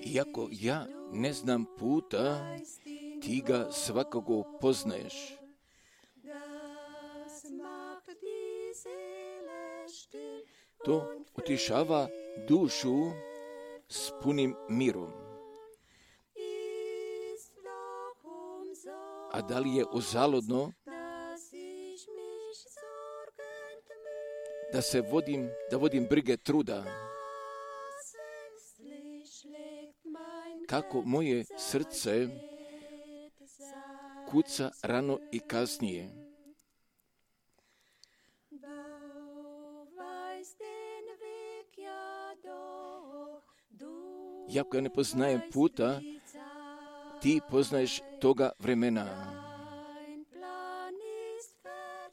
Iako ja ne znam puta, ti ga svakako poznaješ. To utišava dušu s punim mirom. A da li je uzaludno da vodim brige truda? Kako moje srce kuca rano i kasnije. Iako ja ne poznajem puta, ti poznaješ toga vremena.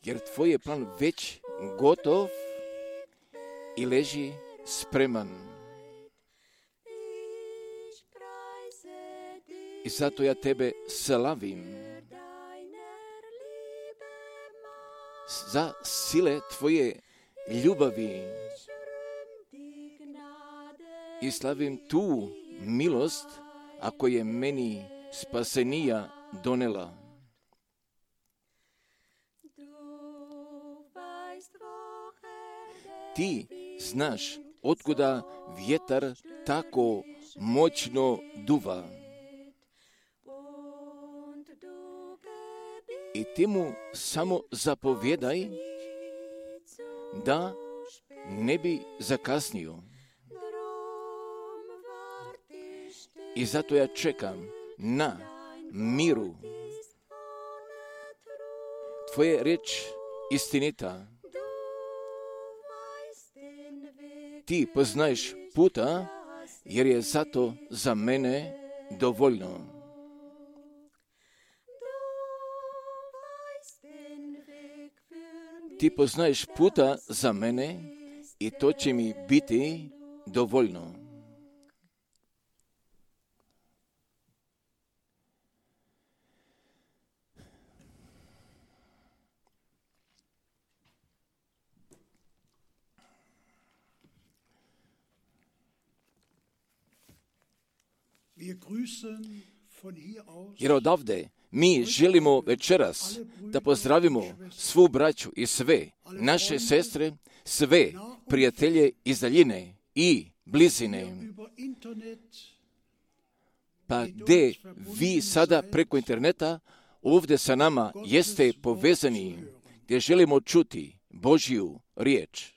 Jer tvoj je plan već gotov i leži spreman. I zato ja tebe slavim za sile tvoje ljubavi i slavim tu milost, ako je meni spasenija donela. Ti znaš otkuda vjetar tako moćno duva. I ti mu samo zapovjedaj da ne bi zakasnio. I zato ja čekam na miru. Tvoje riječ istinita. Ti poznaješ puta, jer je zato za mene dovoljno. Ti poznaješ puta za mene i to će mi biti dovoljno. Jer odavde mi želimo večeras da pozdravimo svu braću i sve naše sestre, sve prijatelje iz daljine i blizine. Pa gdje vi sada preko interneta ovdje sa nama jeste povezani, gdje želimo čuti Božju riječ.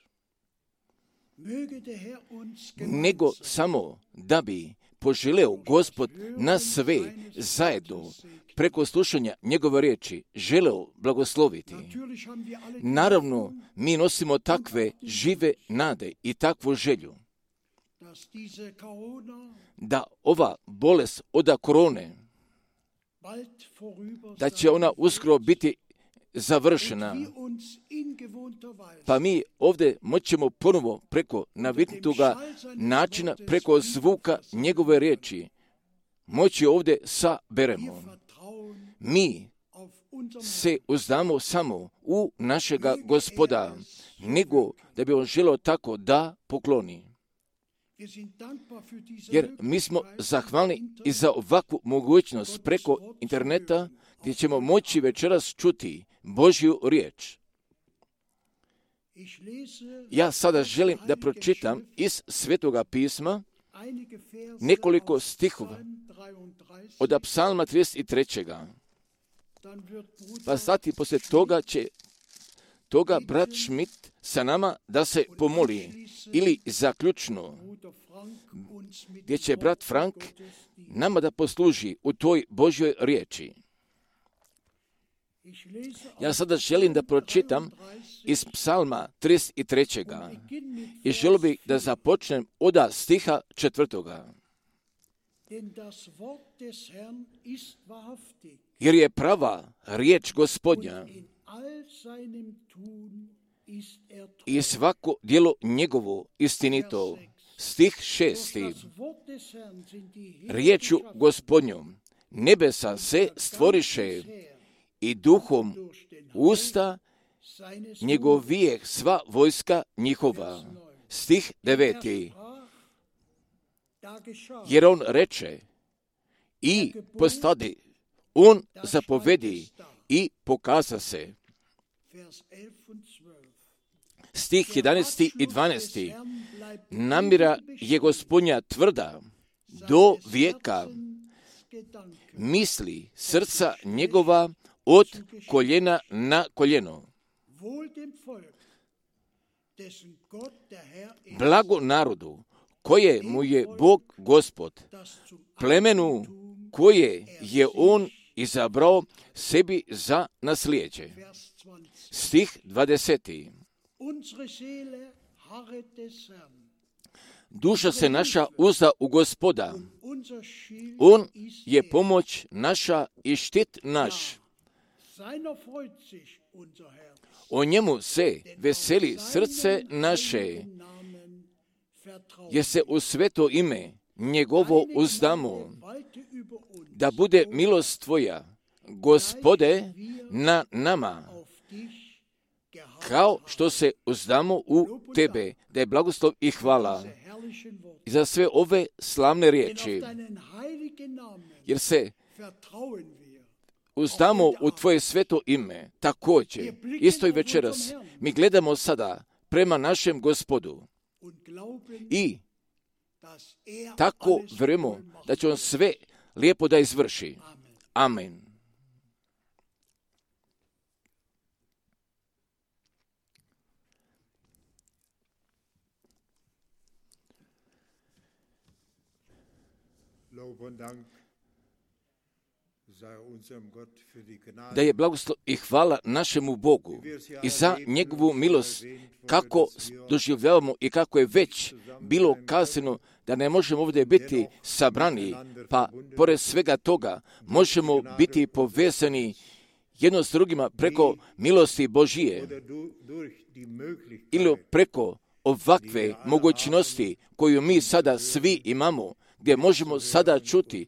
Nego samo da bi poželeo Gospod nas sve zajedno preko slušanja njegove riječi želeo blagosloviti. Naravno, mi nosimo takve žive nade i takvu želju da ova bolest od korone, da će ona uskoro biti završena. Pa mi ovdje moćemo ponovo preko naviknutoga načina, preko zvuka njegove riječi, moći ovdje saberemo. Mi se uzdamo samo u našega Gospoda, nego da bi on želeo tako da pokloni. Jer mi smo zahvalni i za ovakvu mogućnost preko interneta gdje ćemo moći večeras čuti Božju riječ. Ja sada želim da pročitam iz Svetoga pisma nekoliko stihova od Psalma 33. Pa zatim poslije toga brat Schmidt sa nama da se pomoli ili zaključno gdje će brat Frank nama da posluži u toj Božjoj riječi. Ja sada želim da pročitam iz Psalma 33. i želim bih da započnem od stiha 4. Jer je prava riječ Gospodnja i svako djelo njegovo istinito. Stih 6. Riječu Gospodnjom nebesa se stvoriše i duhom usta njegovijeh sva vojska njihova. Stih 9. jer on reče i postadi, on zapovedi i pokaza se. Stih 11. i 12. Namjera je Gospodnja tvrda do vijeka, misli srca njegova od koljena na koljeno. Blago narodu koje mu je Bog Gospod, plemenu koje je on izabrao sebi za naslijeđe. Stih 20. Duša se naša uzda u Gospoda, on je pomoć naša i štit naš. O njemu se veseli srce naše, jer se u sveto ime njegovo uzdamo, da bude milost tvoja, Gospode, na nama, kao što se uzdamo u tebe, da je blagoslov i hvala i za sve ove slavne riječi, jer se uzdamo u tvoje sveto ime. Također, isto i večeras, mi gledamo sada prema našem Gospodu i tako vjerujemo da će on sve lijepo da izvrši. Amen. Da je blagoslov i hvala našemu Bogu i za njegovu milost, kako doživljavamo i kako je već bilo kazano da ne možemo ovdje biti sabrani, pa pored svega toga možemo biti povezani jedno s drugima preko milosti Božije ili preko ovakve mogućnosti koju mi sada svi imamo, gdje možemo sada čuti,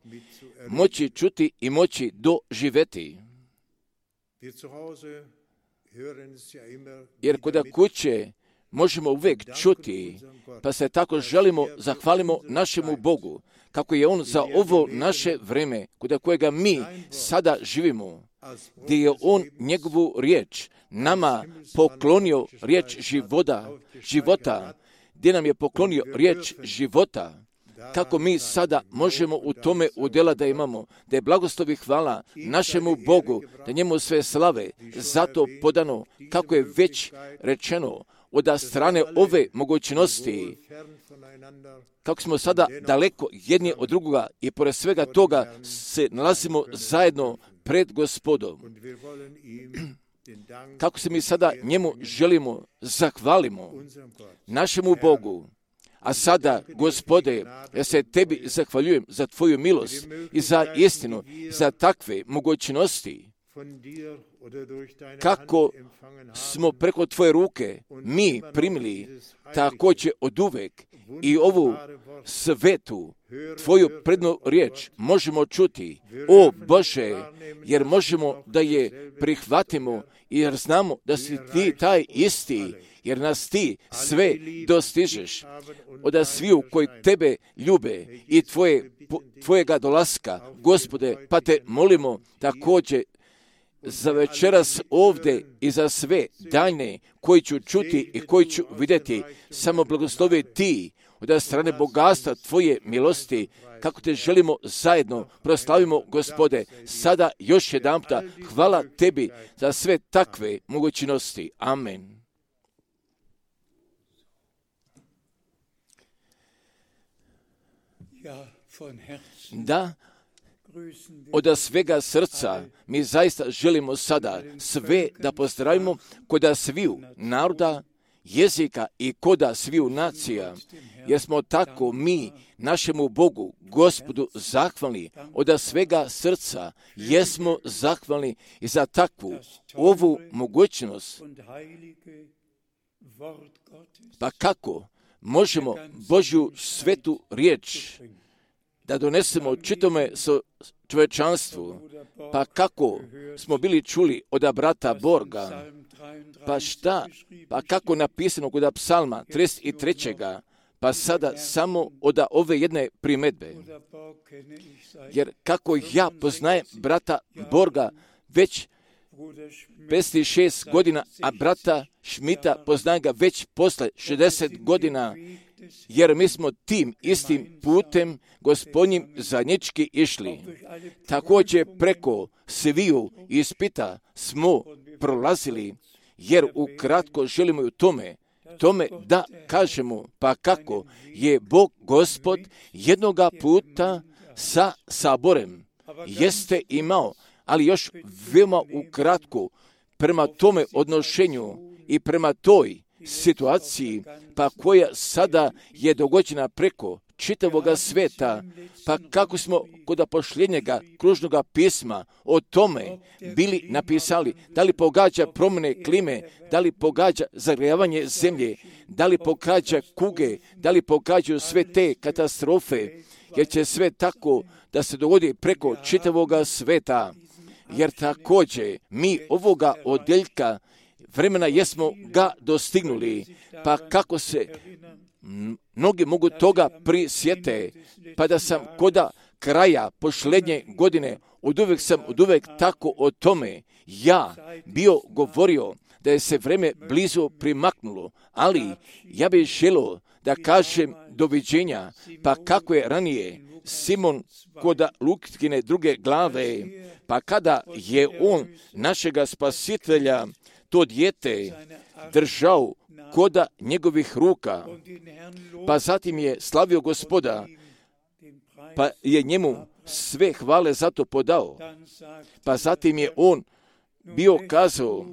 moći čuti i moći doživjeti. Jer kod kuće možemo uvijek čuti, pa se tako želimo, zahvalimo našemu Bogu, kako je On za ovo naše vrijeme, kod kojega mi sada živimo, gdje je On njegovu riječ nama poklonio riječ života, gdje nam je poklonio riječ života, kako mi sada možemo u tome udjela da imamo, da je blagoslov i hvala našemu Bogu, da njemu sve slave, zato podano, kako je već rečeno, od strane ove mogućnosti, kako smo sada daleko jedni od drugoga i pored svega toga se nalazimo zajedno pred Gospodom. Kako se mi sada njemu želimo, zahvalimo našemu Bogu. A sada, Gospode, ja se tebi zahvaljujem za tvoju milost i za istinu, za takve mogućnosti, kako smo preko tvoje ruke mi primili također od uvek i ovu svetu, tvoju prednu riječ možemo čuti, o Bože, jer možemo da je prihvatimo, jer znamo da si ti taj isti, jer nas ti sve dostižeš od sviju koji tebe ljube i tvojega dolaska, Gospode, pa te molimo također za večeras ovdje i za sve daljne koji ću čuti i koji ću vidjeti, samo blagoslovi ti od strane bogatstva tvoje milosti, kako te želimo zajedno proslavimo, Gospode, sada još jedanputa hvala tebi za sve takve mogućnosti. Amen. Da, od svega srca mi zaista želimo sada sve da pozdravimo kod sviju naroda, jezika i kod sviju nacija, jer smo tako mi našemu Bogu, Gospodu, zahvalni od svega srca, jesmo zahvalni i za takvu ovu mogućnost. Pa kako možemo Božju svetu riječ da donesemo čitome čovječanstvu, pa kako smo bili čuli od brata Borga, pa šta, pa kako napisano kod psalma 33. Pa sada samo od ove jedne primjedbe. Jer kako ja poznajem brata Borga već 56 godina, a brata Šmita poznajem ga već posle 60 godina, jer mi smo tim istim putem Gospodnjim zajednički išli. Također preko sviju ispita smo prolazili, jer ukratko želimo i u tome da kažemo, pa kako je Bog Gospod jednoga puta sa saborem jeste imao, ali još veoma ukratko prema tome odnošenju i prema toj situaciji, pa koja sada je dogođena preko čitavoga sveta, pa kako smo kod pošljenjega kružnoga pisma o tome bili napisali, da li pogađa promjene klime, da li pogađa zagrijavanje zemlje, da li pogađa kuge, da li pogađaju sve te katastrofe, jer će sve tako da se dogodi preko čitavoga sveta, jer također mi ovoga odjeljka vremena jesmo ga dostignuli, pa kako se mnogi mogu toga prisjete, pa da sam koda kraja posljednje godine oduvek tako o tome ja bio govorio da je se vreme blizu primaknulo, ali ja bih želio da kažem doviđenja, pa kako je ranije Simon koda Lutkine druge glave, pa kada je on našega spasitelja, to dijete, držao koda njegovih ruka, pa zatim je slavio Gospoda, pa je njemu sve hvale za to podao, pa zatim je on bio kazao,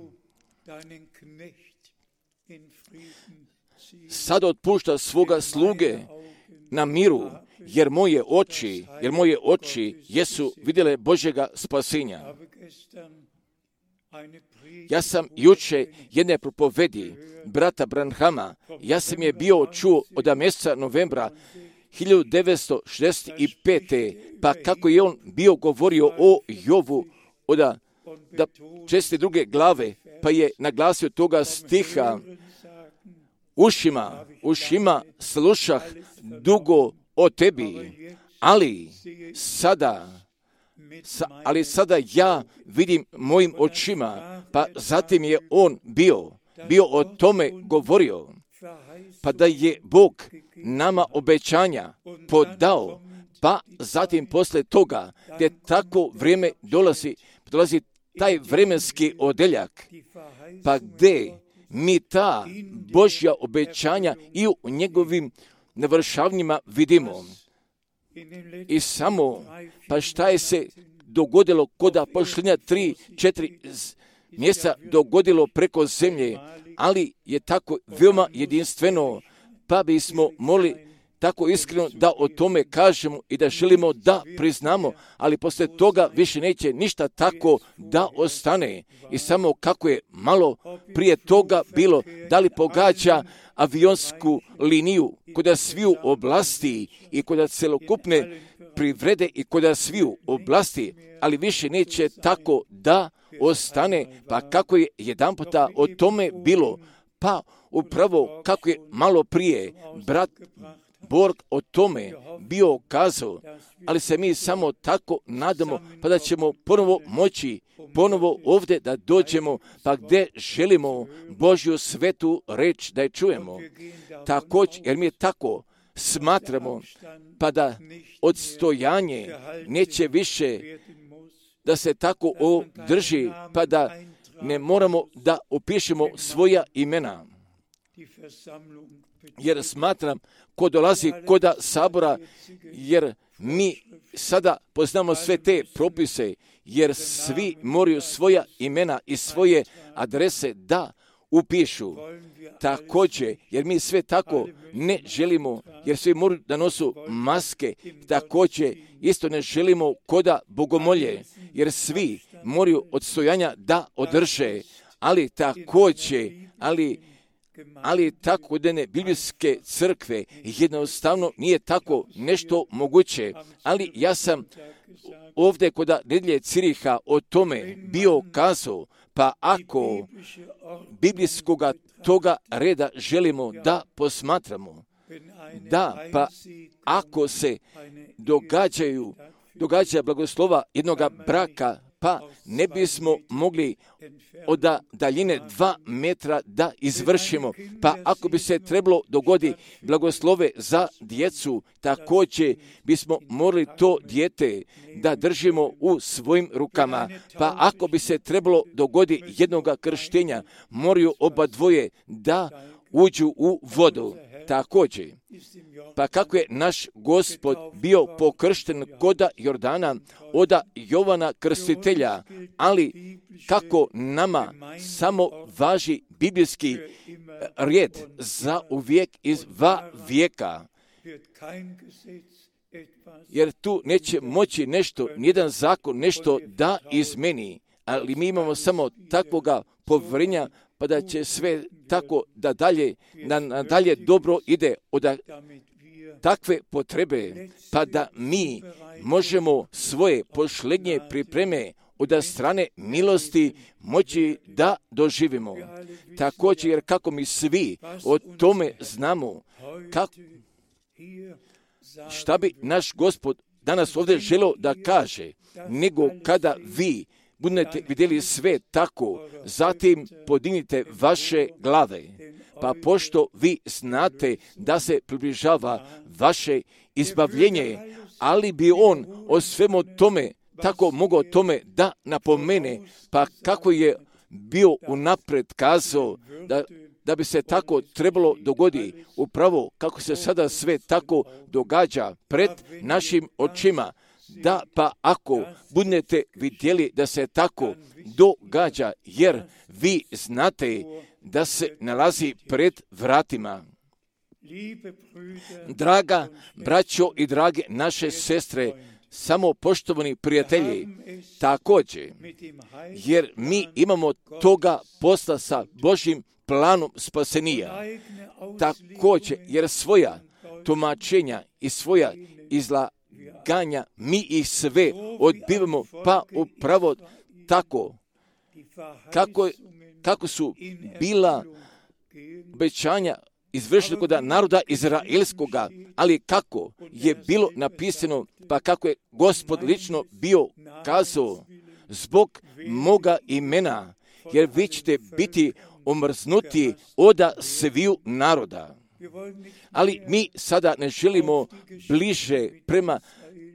sad otpušta svoga sluge na miru, jer moje oči jesu vidjele Božjega spasenja. Ja sam juče jedne propovedi brata Branhama, ja sam je bio čuo od mjeseca novembra 1965. Pa kako je on bio govorio o Jovu od 62. glave, pa je naglasio toga stiha, ušima slušah dugo o tebi, ali sada ja vidim mojim očima, pa zatim je on bio o tome govorio, pa da je Bog nama obećanja podao, pa zatim posle toga, gdje tako vrijeme dolazi taj vremenski odeljak, pa gdje mi ta Božja obećanja i u njegovim navršavanjima vidimo. I samo, pa šta je se dogodilo koda posljednja 3-4 mjeseca dogodilo preko zemlje, ali je tako veoma jedinstveno, pa bismo molili tako iskreno da o tome kažemo i da želimo da priznamo, ali poslije toga više neće ništa tako da ostane. I samo kako je malo prije toga bilo, da li pogađa avionsku liniju kod sviju oblasti i kod celokupne privrede i kod sviju oblasti, ali više neće tako da ostane, pa kako je jedanputa o tome bilo, pa upravo kako je malo prije brat Borg o tome bio kazao, ali se mi samo tako nadamo, pa da ćemo ponovo ovdje da dođemo, pa gdje želimo Božju svetu reč da je čujemo. Također, jer mi tako smatramo, pa da odstojanje neće više da se tako održi, pa da ne moramo da opišemo svoja imena. Jer smatram, ko dolazi koda sabora, jer mi sada poznamo sve te propise, jer svi moraju svoja imena i svoje adrese da upišu. Također, jer mi sve tako ne želimo, jer svi moraju da nosu maske, također isto ne želimo koda bogomolje, jer svi moraju odstojanja da održe, ali također, ali tako da ne biblijske crkve jednostavno nije tako nešto moguće. Ali ja sam ovdje kod nedjelje Ciriha o tome bio kazao, pa ako biblijskoga toga reda želimo da posmatramo, da, pa ako se događa blagoslova jednoga braka, pa ne bismo mogli od daljine 2 metra da izvršimo. Pa ako bi se trebalo dogodi blagoslove za djecu, također bismo morali to dijete da držimo u svojim rukama. Pa ako bi se trebalo dogodi jednoga krštenja, moraju oba dvoje da uđu u vodu. Također, pa kako je naš Gospod bio pokršten koda Jordana od Jovana Krstitelja, ali kako nama samo važi biblijski rijed za uvijek iz vijeka, jer tu neće moći nešto, nijedan zakon nešto da izmeni, ali mi imamo samo takvoga povjerenja, pa da će sve tako da dalje dobro ide od takve potrebe, pa da mi možemo svoje posljednje pripreme od strane milosti moći da doživimo. Također, jer kako mi svi o tome znamo, šta bi naš Gospod danas ovdje želio da kaže, nego kada vi budete vidjeli sve tako, zatim podignite vaše glave, pa pošto vi znate da se približava vaše izbavljenje, ali bi on o svemu tome tako mogao tome da napomene, pa kako je bio unaprijed kazao da bi se tako trebalo dogoditi, upravo kako se sada sve tako događa pred našim očima, da pa ako budete vidjeli da se tako događa, jer vi znate da se nalazi pred vratima. Draga braćo i drage naše sestre, samo poštovani prijatelji, također, jer mi imamo toga posla sa Božjim planom spasenija, također, jer svoja tumačenja i svoja izlaganja, mi ih sve odbivamo, pa upravo tako, kako su bila obećanja izvršili kod naroda izraelskoga, ali kako je bilo napisano, pa kako je Gospod lično bio kazao, zbog moga imena, jer vi ćete biti omrznuti od sviju naroda. Ali mi sada ne želimo bliže prema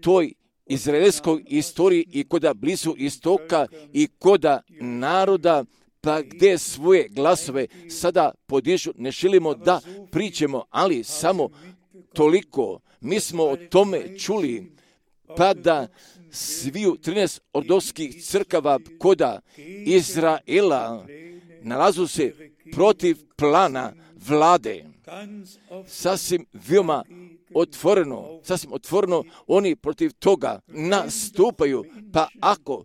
toj izraelskoj istoriji i koda blizu istoka i koda naroda, pa gdje svoje glasove sada podižu, ne želimo da pričamo, ali samo toliko. Mi smo o tome čuli, pa da sviju 13 ordovskih crkava koda Izraela nalazu se protiv plana vlade. Sasvim veoma otvoreno oni protiv toga nastupaju, pa ako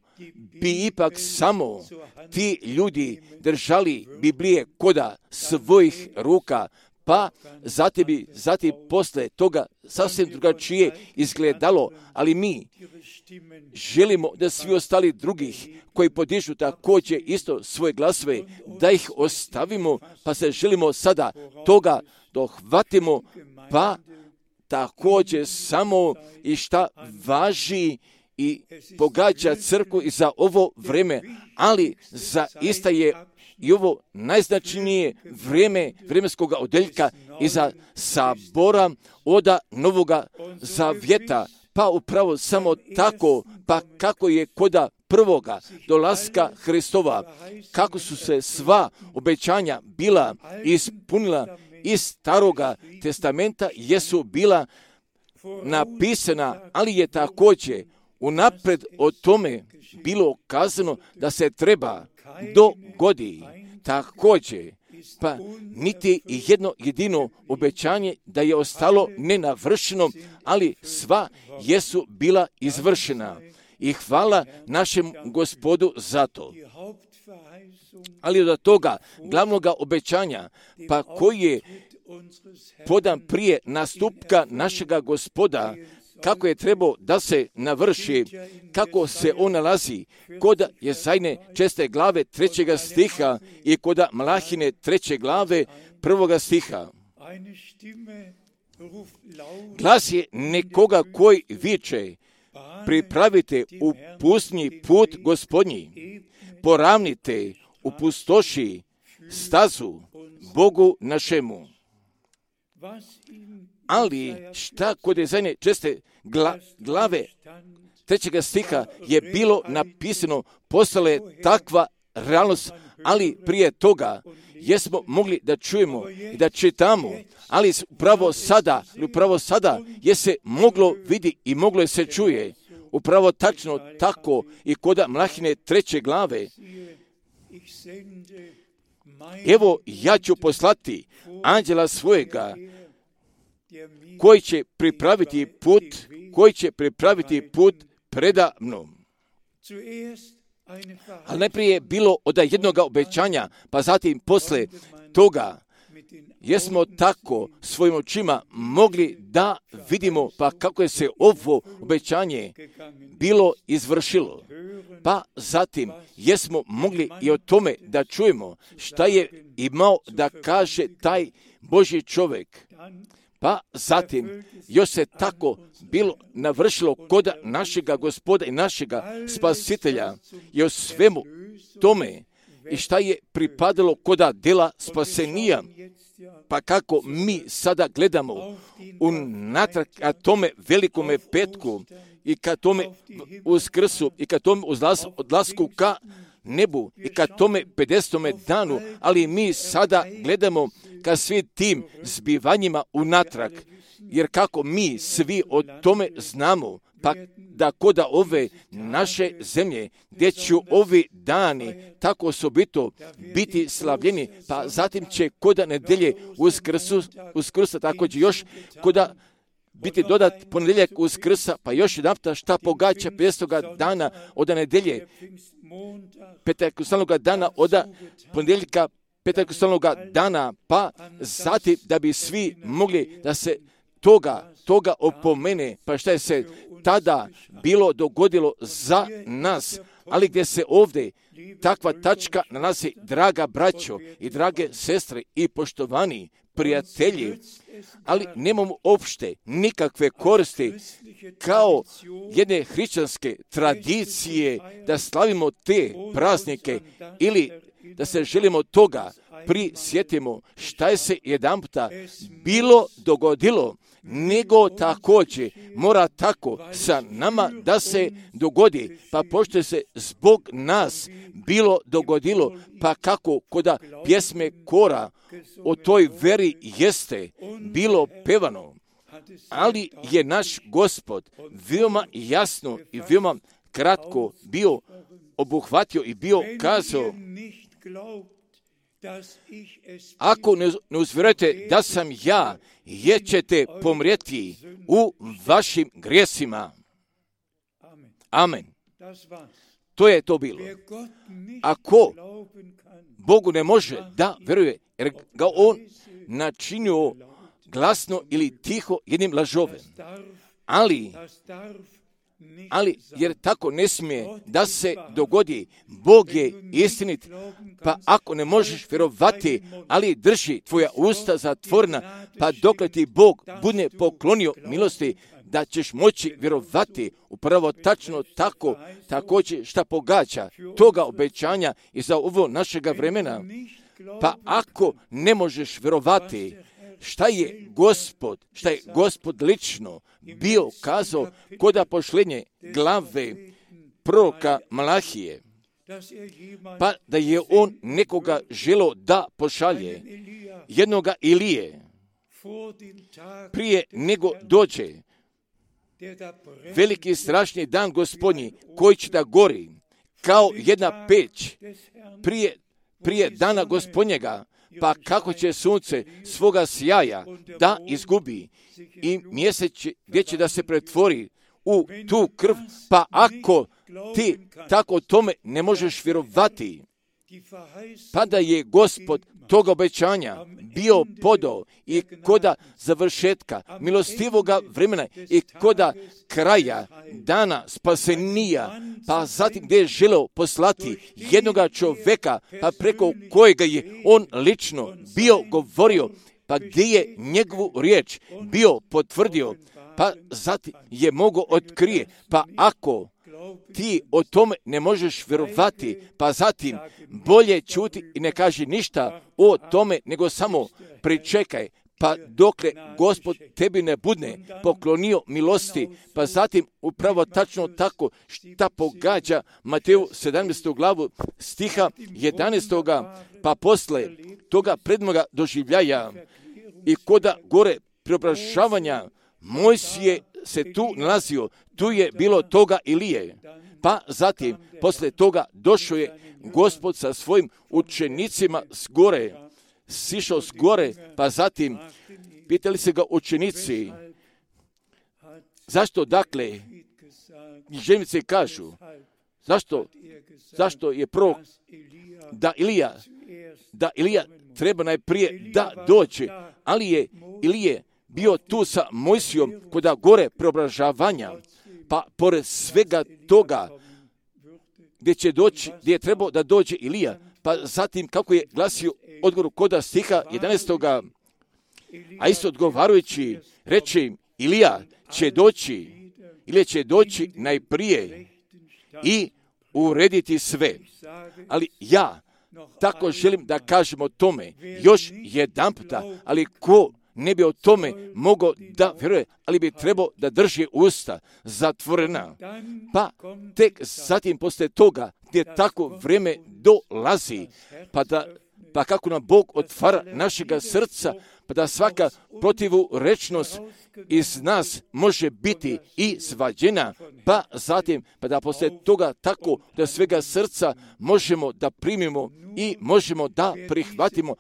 bi ipak samo ti ljudi držali Biblije koda svojih ruka, pa zatim posle toga sasvim drugačije izgledalo, ali mi želimo da svi ostali drugih koji podižu također isto svoje glasove, da ih ostavimo, pa se želimo sada toga dohvatimo, pa također samo i šta važi i pogađa crkvu i za ovo vrijeme, ali zaista je i ovo najznačajnije vrijeme vremenskog odeljka iza sabora od Novoga Zavjeta, pa upravo samo tako, pa kako je koda prvoga dolaska Hristova, kako su se sva obećanja bila ispunila iz Staroga testamenta, jesu bila napisana, ali je također unaprijed o tome bilo kazano da se treba dogodi. Također, pa niti jedno jedino obećanje da je ostalo nenavršeno, ali sva jesu bila izvršena. I hvala našem Gospodu za to. Ali od toga glavnoga obećanja, pa koji je podan prije nastupka našega Gospoda, kako je trebao da se navrši, kako se on nalazi kod Jezajne 6. glave 3. stiha i kod Malahine 3. glave 1. stiha. Glas je nekoga koji viče, pripravite u pustinji put Gospodnji, poravnite u pustoši stazu Bogu našemu. Ali šta kod zadnje česte glave 3. stiha je bilo napisano, postala je takva realnost, ali prije toga jesmo mogli da čujemo i da čitamo, ali upravo sada je se moglo vidi i moglo je se čuje. Upravo tačno tako i kod Mlahine 3. glave. Evo, ja ću poslati anđela svojega koji će pripraviti put preda mnom. Ali najprije je bilo od jednog obećanja, pa zatim posle toga jesmo tako svojim očima mogli da vidimo pa kako je se ovo obećanje bilo izvršilo. Pa zatim jesmo mogli i o tome da čujemo šta je imao da kaže taj Božji čovjek. Pa zatim još se tako bilo navršilo kod našega Gospoda i našega Spasitelja i o svemu tome i šta je pripadalo kod dela spasenija. Pa kako mi sada gledamo unatrag ka tome velikome petku i ka tome uskrsu i ka tome odlasku ka nebu i ka tome 50. danu, ali mi sada gledamo ka svim tim zbivanjima unatrag, jer kako mi svi o tome znamo, pa da koda ove naše zemlje, gdje će ovi dani tako osobito biti slavljeni, pa zatim će koda nedelje uskrsa također još koda biti dodat ponedjeljak uskrsa, pa još jedan šta pogađa 50. dana od nedelje, Pentekostalnog dana od ponedjeljka Pentekostalnog dana, pa zatim da bi svi mogli da se toga opomene, pa šta je se tada bilo dogodilo za nas, ali gdje se ovdje takva tačka nalazi, draga braćo i drage sestre i poštovani prijatelji, ali nemamo opšte nikakve koristi kao jedne hrišćanske tradicije da slavimo te praznike ili da se želimo toga prisjetimo šta je se jedanputa bilo dogodilo, nego također mora tako sa nama da se dogodi, pa pošto se zbog nas bilo dogodilo, pa kako koda pjesme kora o toj veri jeste bilo pevano, ali je naš Gospod veoma jasno i veoma kratko bio obuhvatio i bio kazao, ako ne uzvjerujete da sam ja, jer ćete pomrijeti u vašim grijesima. Amen. To je to bilo. Ako Bogu ne može da veruje, jer ga on načinio glasno ili tiho jednim lažovem. Ali jer tako ne smije da se dogodi, Bog je istinit, pa ako ne možeš vjerovati, ali drži tvoja usta zatvorena, pa dokle ti Bog bude poklonio milosti, da ćeš moći vjerovati upravo tačno tako, također šta pogađa toga obećanja i za ovo našega vremena. Pa ako ne možeš vjerovati, šta je Gospod lično bio kazao koda pošlenje glave proroka Malahije, pa da je on nekoga želo da pošalje, jednoga Ilije, prije nego dođe veliki strašni dan Gospodnji koji će da gori kao jedna peć prije dana Gospodnjega, pa kako će sunce svoga sjaja da izgubi i mjesec gdje će da se pretvori u tu krv, pa ako ti tako tome ne možeš vjerovati, pa da je Gospod toga obećanja bio podao i koda završetka milostivoga vremena i koda kraja dana spasenija, pa zatim gdje je želeo poslati jednoga čovjeka, pa preko kojega je on lično bio govorio, pa gdje je njegovu riječ bio potvrdio, pa zatim je mogao otkrije, pa ako ti o tome ne možeš vjerovati, pa zatim bolje čuti i ne kaži ništa o tome, nego samo pričekaj, pa dokle Gospod tebi ne bude poklonio milosti, pa zatim upravo tačno tako šta pogađa Mateju 17. glavu stiha 11. pa posle toga predmoga doživljaja i koda gore preobražavanja Mojsije se tu nalazio, tu je bilo toga Ilije, pa zatim posle toga došao je Gospod sa svojim učenicima s gore, sišao s gore, pa zatim pitali se ga učenici, zašto dakle, književnici kažu, zašto je prorok da Ilija treba najprije da dođe, ali je Ilije bio tu sa Mojsijom kod gore preobražavanja, pa pored svega toga gdje je trebao da dođe Ilija, pa zatim kako je glasio odgovor koda stiha 11. A isto odgovarajući reče im, Ilija će doći najprije i urediti sve. Ali ja tako želim da kažem o tome još jedan puta, ali ko ne bi o tome mogao da vjeruje, ali bi trebao da drži usta zatvorena. Pa tek zatim posle toga gdje tako vrijeme dolazi, pa kako nam Bog otvara našega srca, pa da svaka protivurečnost iz nas može biti i svađena, pa zatim pa da posle toga tako da svega srca možemo da primimo i možemo da prihvatimo,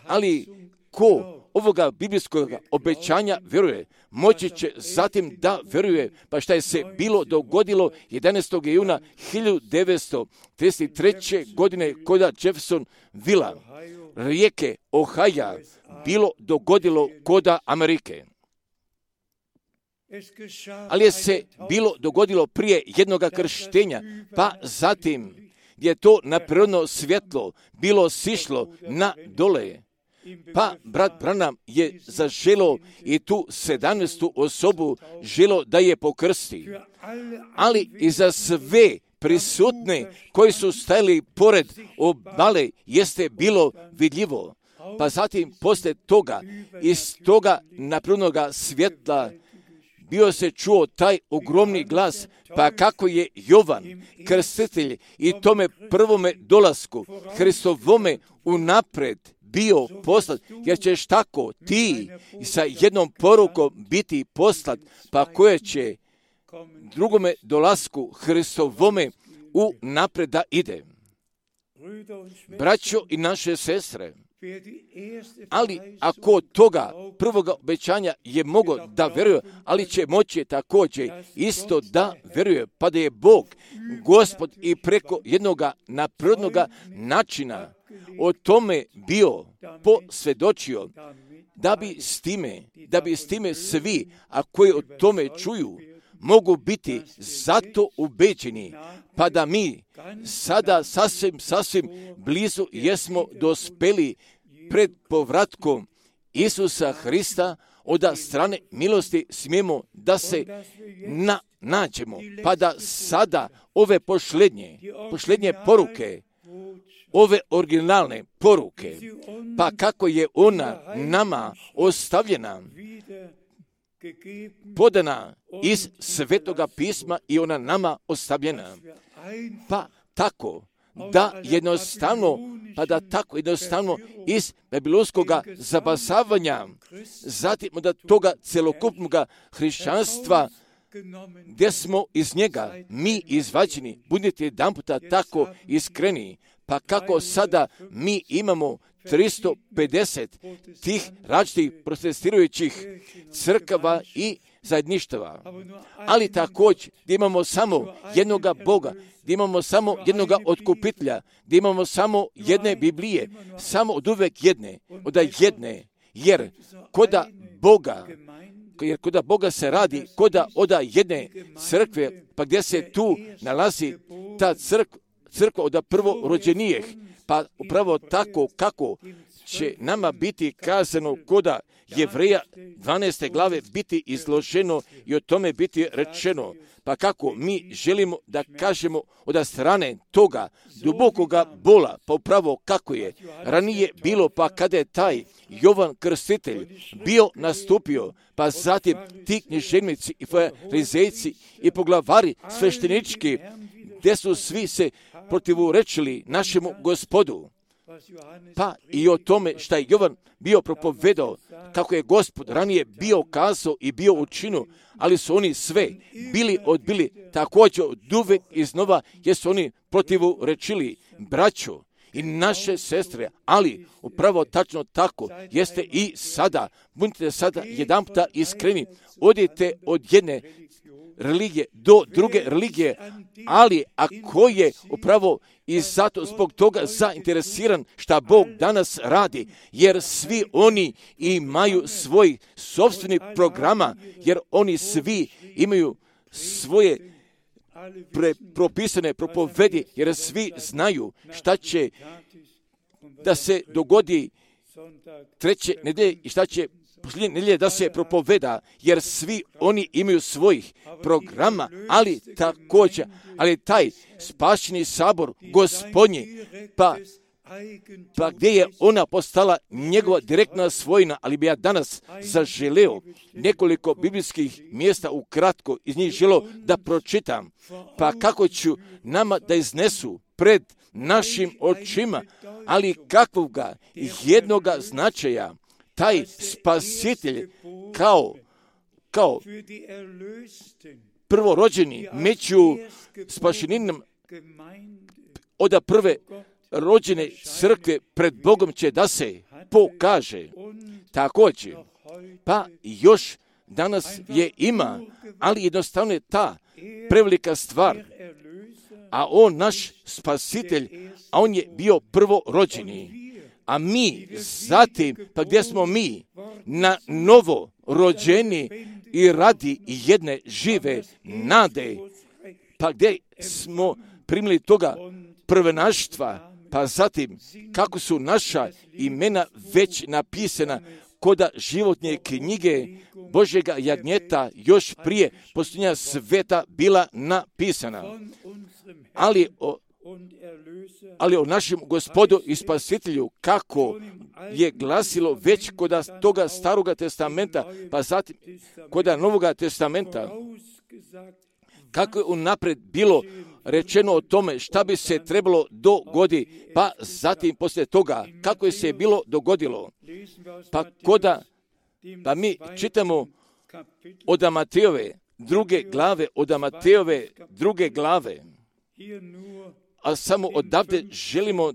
ali ko ovoga biblijskog obećanja vjeruje, moći će zatim da vjeruje, pa šta je se bilo dogodilo 11. juna 1933. godine kod Jeffersonvilla, rijeke Ohaja, bilo dogodilo koda Amerike. Ali je se bilo dogodilo prije jednoga krštenja, pa zatim je to naprirodno svjetlo bilo sišlo na dole. Pa brat Branham je zaželo i tu 17. osobu želo da je pokrsti. Ali i za sve prisutne koji su stajali pored obale jeste bilo vidljivo. Pa zatim posle toga iz toga naprirodnoga svjetla bio se čuo taj ogromni glas, pa kako je Jovan, krstitelj i tome prvome dolasku Hristovome unapred bio poslat, jer ćeš tako ti sa jednom porukom biti poslat, pa koje će drugome dolasku Hristovome unapred da ide. Braćo i naše sestre, ali ako toga prvoga obećanja je mogo da veruje, ali će moći također isto da veruje, pa da je Bog, Gospod i preko jednoga naprirodnoga načina o tome bio posvjedočio, da bi s time svi, a koji o tome čuju, mogu biti zato ubeđeni, pa da mi sada sasvim blizu jesmo dospeli pred povratkom Isusa Hrista, od strane milosti smijemo da se nađemo, pa da sada ove pošlednje poruke, ove originalne poruke, pa kako je ona nama ostavljena, podana iz Svetoga pisma i ona nama ostavljena, pa tako da jednostavno iz babilonskog zabasavanja, zatim od toga celokupnog hrišćanstva, gdje smo iz njega mi izvađeni, budite jedan puta tako iskreni, pa kako sada mi imamo 350 tih različitih protestirajućih crkava i zajedništava, ali također gdje imamo samo jednoga Boga, gdje imamo samo jednoga otkupitelja, gdje imamo samo jedne Biblije, samo od uvek jedne, jer koda Boga se radi, koda oda jedne crkve, pa gdje se tu nalazi ta crkva od prvorođenijih, pa upravo tako kako će nama biti kazano koda Jevreja 12. glave biti izloženo i o tome biti rečeno. Pa kako mi želimo da kažemo od strane toga dubokoga bola, pa upravo kako je ranije bilo, pa kada je taj Jovan Krstitelj bio nastupio, pa zatim ti književnici i farizejci i poglavari sveštenički, gdje su svi se protivrečili našemu Gospodu. Pa i o tome šta je Jovan bio propovedao, kako je Gospod ranije bio kazao i bio učinio, ali su oni sve bili odbili također od uvek iznova, jer su oni protivrečili braću i naše sestre, ali upravo tačno tako jeste i sada. Budite sada jedanputa iskreni, odite od jedne religije do druge religije, ali ako je upravo i zato zbog toga zainteresiran šta Bog danas radi, jer svi oni imaju svoj sopstveni programa, jer oni svi imaju svoje propisane propovedi, jer svi znaju šta će da se dogodi treće nedelje i šta će posljednje nedelje da se propoveda, jer svi oni imaju svojih programa, ali također, ali taj spašeni sabor Gospodnji, pa gdje je ona postala njegova direktna svojina, ali bi ja danas zaželeo nekoliko biblijskih mjesta ukratko iz njih želeo da pročitam, pa kako ću nama da iznesu pred našim očima, ali kakvoga jednoga značaja taj spasitelj kao prvorođeni među spašeninom od prve rođene crkve pred Bogom će da se pokaže. Također, pa još danas je ima, ali jednostavno je ta prevelika stvar, a on naš spasitelj, a on je bio prvorođeni. A mi zatim, pa gdje smo mi na novo rođeni i radi jedne žive nade, pa gdje smo primili toga prvenaštva, pa zatim kako su naša imena već napisana koda životne knjige Božjega jagnjeta još prije posljednja sveta bila napisana. Ali o našem Gospodu i Spasitelju, kako je glasilo već kod toga Staroga testamenta, pa zatim kod Novoga testamenta, kako je unaprijed bilo rečeno o tome šta bi se trebalo dogoditi, pa zatim poslije toga kako je se bilo dogodilo. Pa mi čitamo od Matejove druge glave, a samo odavde želimo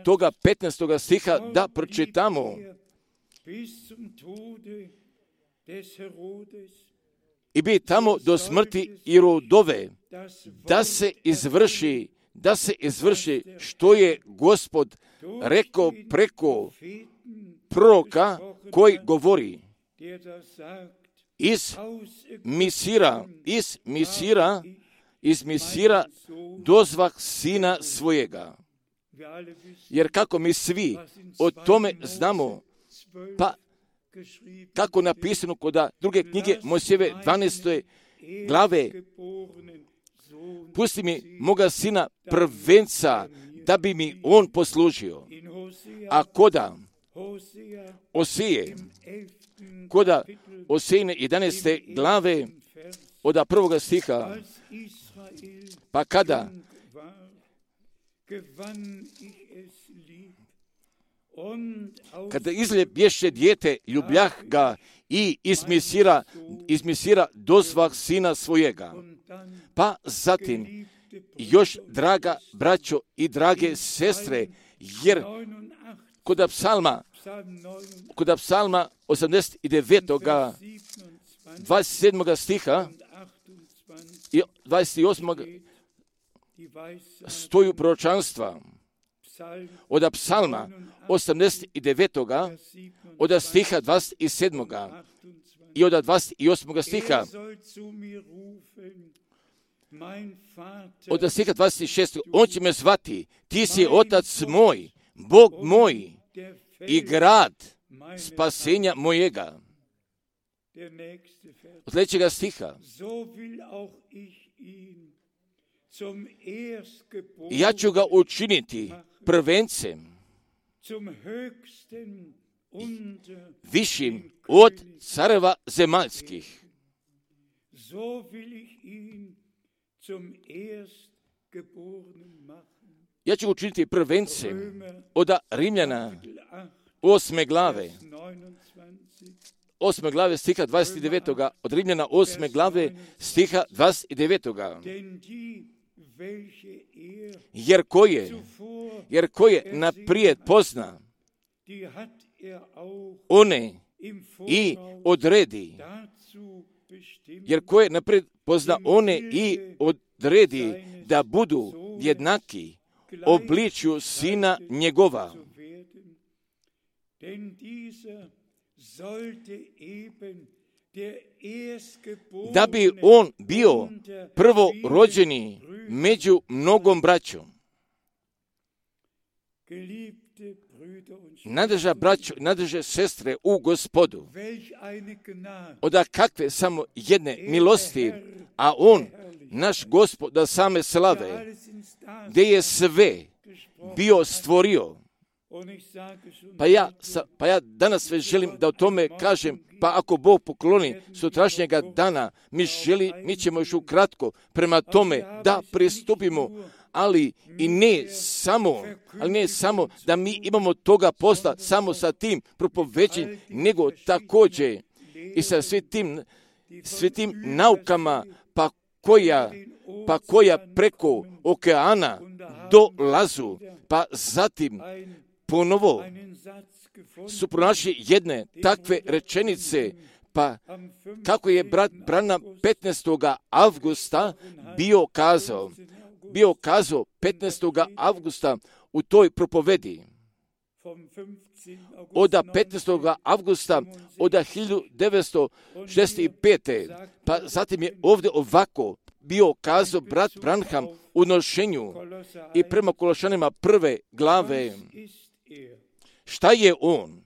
toga 15. stiha da pročitamo. I bi tamo do smrti Irodove, da se izvrši što je Gospod rekao preko proroka koji govori iz Misira dozvah sina svojega. Jer kako mi svi o tome znamo, pa kako napisano kod druge knjige Mojsijeve 12. glave, pusti mi moga sina prvenca da bi mi on poslužio. A koda Osejine 11. glave od prvoga stiha, pa kada izljebješe dijete, ljubljah ga i iz Misira dozvah sina svojega. Pa zatim, još draga braćo i drage sestre, jer kod psalma 89. 27. stiha i 28. stoju proročanstva od psalma 89. od stiha 27. i od 28. stiha od stiha 26. On će me zvati, ti si otac moj, Bog moj, i grad spasenja mojega. Od sljedećega stiha. Ja ću ga učiniti prvencem, višim od careva zemaljskih. Ja ću ga učiniti prvencem od Rimljana 8. glave. 8. glave stiha 29. Od Rimljana 8. glave stiha 29. Jer koje naprijed pozna, one i odredi. Jer koje naprijed pozna, one i odredi da budu jednaki obličju sina njegova. Da bi on bio prvorođeni među mnogom braćom. Nadeža braćo, nadeže sestre u Gospodu. Oda kakve samo jedne milosti, a on, naš Gospod, da same slave, gdje je sve bio stvorio. Pa ja danas već želim da o tome kažem, pa ako Bog pokloni sutrašnjega dana, mi ćemo još ukratko prema tome da pristupimo, ali ne samo da mi imamo toga posla samo sa tim propoveđenjem, nego također i sa svim tim naukama pa koja preko okeana dolazu, pa zatim ponovo su pronašli jedne takve rečenice, pa kako je brat Branham 15. avgusta bio kazao 15. avgusta u toj propovedi. Od 15. avgusta od 1965. Pa zatim je ovdje ovako bio kazao brat Branham u nošenju i prema Kološanima 1. glave. Šta je on?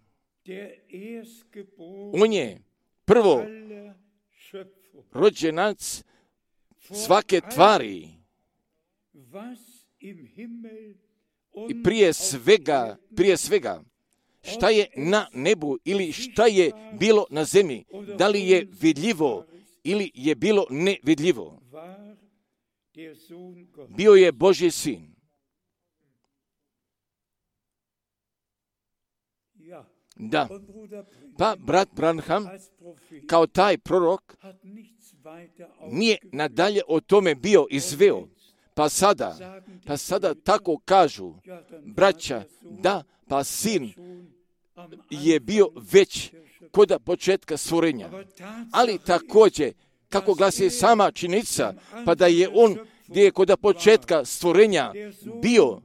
On je prvo rođenac svake tvari i prije svega šta je na nebu ili šta je bilo na zemlji, da li je vidljivo ili je bilo nevidljivo. Bio je Božji sin. Da, pa brat Branham kao taj prorok nije nadalje o tome bio izveo. Pa sada tako kažu braća, da, pa sin je bio već kod početka stvorenja. Ali također, kako glasi sama činjenica, pa da je on gdje je kod početka stvorenja bio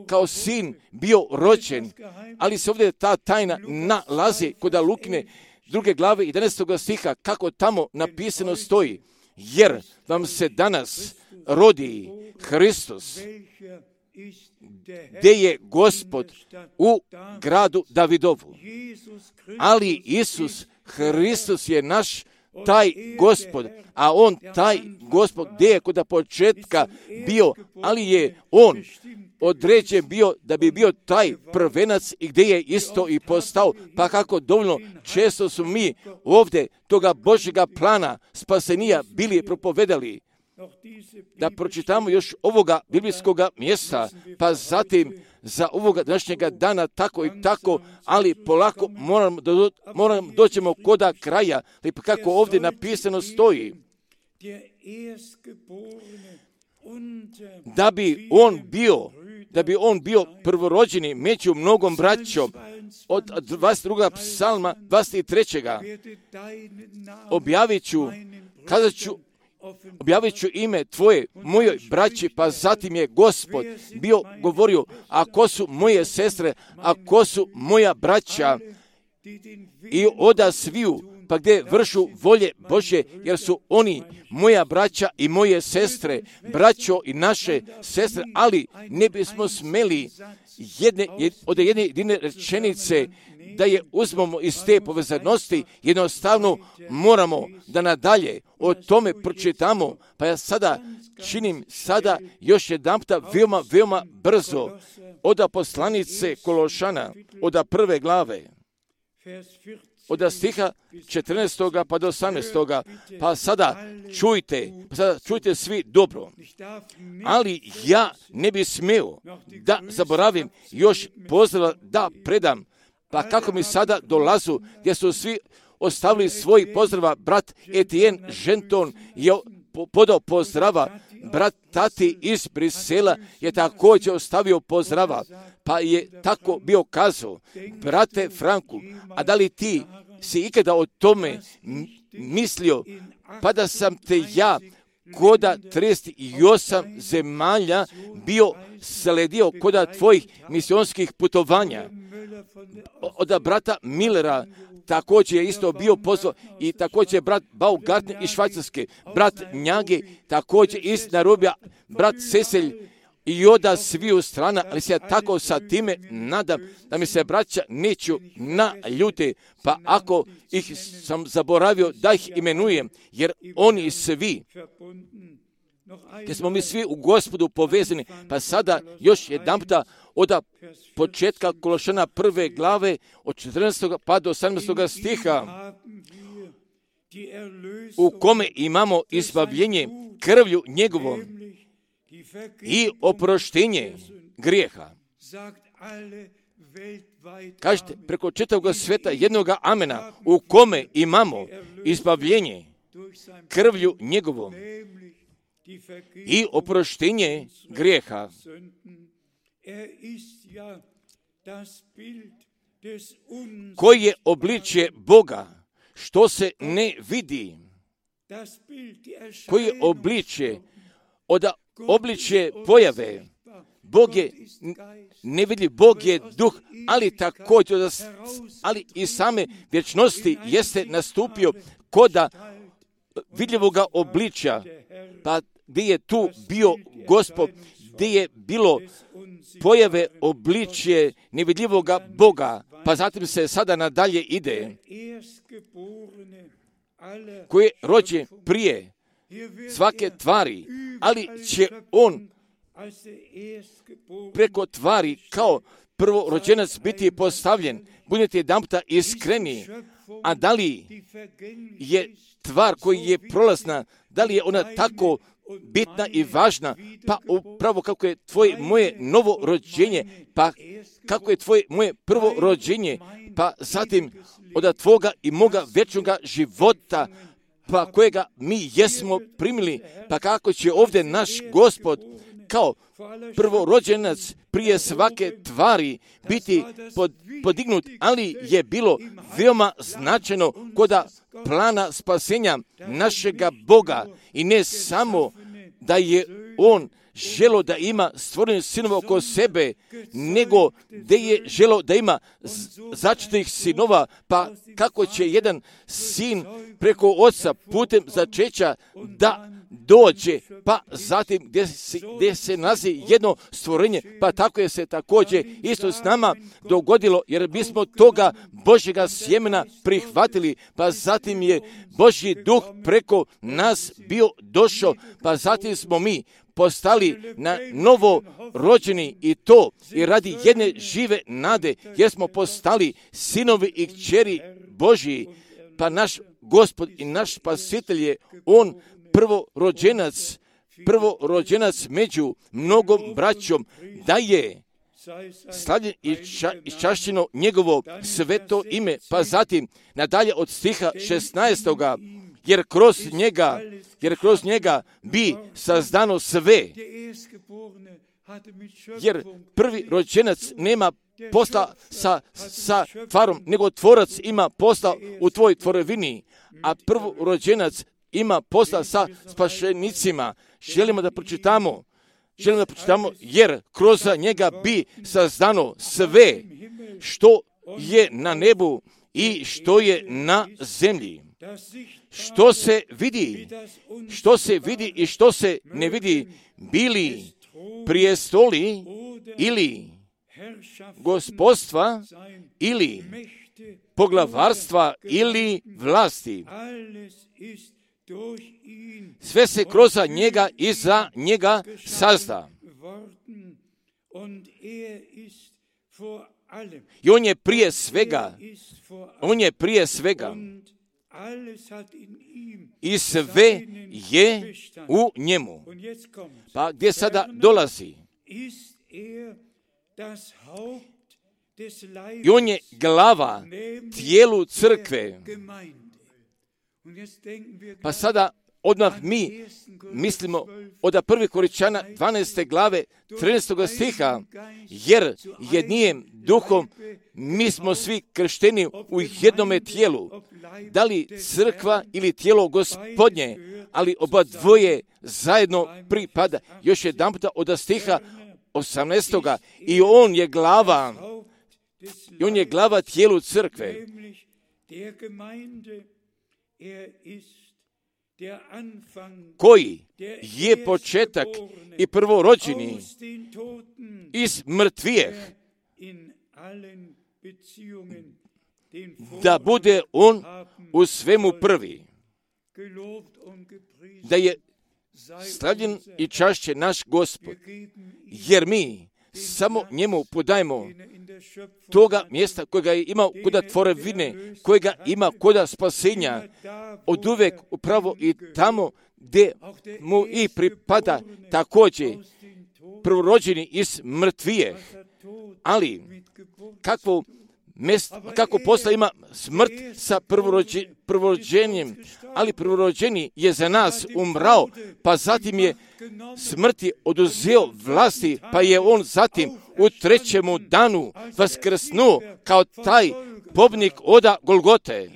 kao sin bio rođen, ali se ovdje ta tajna nalazi kod Lukine 2. glave 11. stiha, kako tamo napisano stoji, jer vam se danas rodi Hristos, gdje je Gospod u gradu Davidovu. Ali Isus Hristos je naš taj Gospod, a on taj Gospod gdje je kod početka bio, ali je on određen bio da bi bio taj prvenac i gdje je isto i postao, pa kako dovoljno često su mi ovdje toga Božjega plana spasenija bili propovedali. Da pročitamo još ovoga biblijskoga mjesta, pa zatim za ovoga današnjega dana tako i tako, ali polako moram doćemo koda kraja, pa kako ovdje napisano stoji, da bi on bio prvorođeni među mnogom braćom. Od 22. psalma 23. objavit ću ime tvoje mojoj braći, pa zatim je Gospod bio govorio, a ko su moje sestre, a ko su moja braća, i oda sviju pa gdje vršu volje Božje, jer su oni moja braća i moje sestre, braćo i naše sestre, ali ne bismo smeli od jedne jedine rečenice da je uzmemo iz te povezanosti, jednostavno moramo da nadalje o tome pročitamo, pa ja sada činim još jedanputa veoma brzo od poslanice Kološana, od prve glave, od stiha 14. pa do 18. Pa sada čujte svi dobro. Ali ja ne bi smio da zaboravim još pozdrav da predam, pa kako mi sada dolazu, gdje su svi ostavili svoj pozdrava, brat Etienne Genton je podao pozdrava, brat Tati iz Brisela je također ostavio pozdrava, pa je tako bio kazao, brate Franku, a da li ti si ikada o tome mislio, pa da sam te ja koda 38 zemalja bio sledio koda tvojih misionskih putovanja. Od brata Millera također je isto bio pozvao i također brat Baumgartner iz Švajcarske, brat Njage također iz Nairobija, brat Cecil i od sviju strana, ali se ja tako sa time nadam da mi se braća neću naljute, pa ako ih sam zaboravio da ih imenujem, jer oni svi, gdje smo mi svi u Gospodu povezani, pa sada još jedanputa od početka Kološana prve glave, od 14. pa do 18. stiha, u kome imamo izbavljenje krvlju njegovom i oproštenje grijeha. Kažete preko čitavog sveta jednoga amena, u kome imamo izbavljenje krvlju njegovom i oproštenje grijeha. Koji je obličje Boga, što se ne vidi. Koji je obličje pojave. Bog je nevidljiv, Bog je duh, ali također, ali i same vječnosti jeste nastupio koda vidljivoga obličja, pa gdje je tu bio Gospod, gdje je bilo pojave obličje nevidljivoga Boga, pa zatim se sada nadalje ide, koji je rođen prije svake tvari, ali će on preko tvari kao prvorođenac biti postavljen. Budete jedanputa iskreni, a da li je tvar koja je prolazna, da li je ona tako bitna i važna, pa upravo kako je tvoje moje novo rođenje, pa kako je tvoje moje prvo rođenje, pa zatim od tvoga i moga vječnoga života, pa kojega mi jesmo primili, pa kako će ovdje naš Gospod kao prvorođenac prije svake tvari biti podignut, ali je bilo veoma značajno koda plana spasenja našega Boga i ne samo da je on želo da ima stvorene sinova oko sebe, nego da je želo da ima začetih sinova, pa kako će jedan sin preko oca putem začeća da dođe, pa zatim gdje se nalazi jedno stvorenje, pa tako je se također isto s nama dogodilo, jer mi smo toga Božjega sjemena prihvatili, pa zatim je Božji duh preko nas bio došao, pa zatim smo mi postali na novo rođeni i to i radi jedne žive nade, jer smo postali sinovi i kćeri Božji, pa naš Gospod i naš Spasitelj je on prvorođenac među mnogom braćom, da je slavljen i čašćeno njegovo sveto ime, pa zatim nadalje od stiha 16. Jer kroz njega bi sazdano sve. Jer prvi rođenac nema posla sa tvarom, nego tvorac ima posla u tvojoj tvorevini, a prvorođenac ima posla sa spašenicima. Želimo da pročitamo, jer kroz njega bi sazdano sve što je na nebu i što je na zemlji. Što se vidi i što se ne vidi, bili prijestoli ili gospodstva ili poglavarstva ili vlasti. Sve se kroz njega i za njega sazda. I on je prije svega. I sve je u njemu. Pa gdje sada dolazi? I on je glava tijelu crkve. Pa sada odmah mi mislimo od 1. Korinćana 12. glave 13. stiha, jer jednim duhom mi smo svi kršteni u jednome tijelu. Da li crkva ili tijelo Gospodnje, ali oba dvoje zajedno pripada. Još jedan puta od stiha 18. I on je glava tijelu crkve. Koji je početak i prvorođeni iz mrtvijeh, da bude on u svemu prvi, da je slavljen i čašće naš Gospod, jer mi samo njemu podajemo toga mjesta kojega je imao koda tvorevine, kojega ima koda spasenja, od uvek upravo i tamo gdje mu i pripada također prvorođeni iz mrtvije. Ali kako posla ima smrt sa prvorođenjem, ali prvorođeni je za nas umrao, pa zatim je smrti oduzeo vlasti, pa je on zatim u 3. danu vaskrsnuo kao taj pobjednik oda Golgote.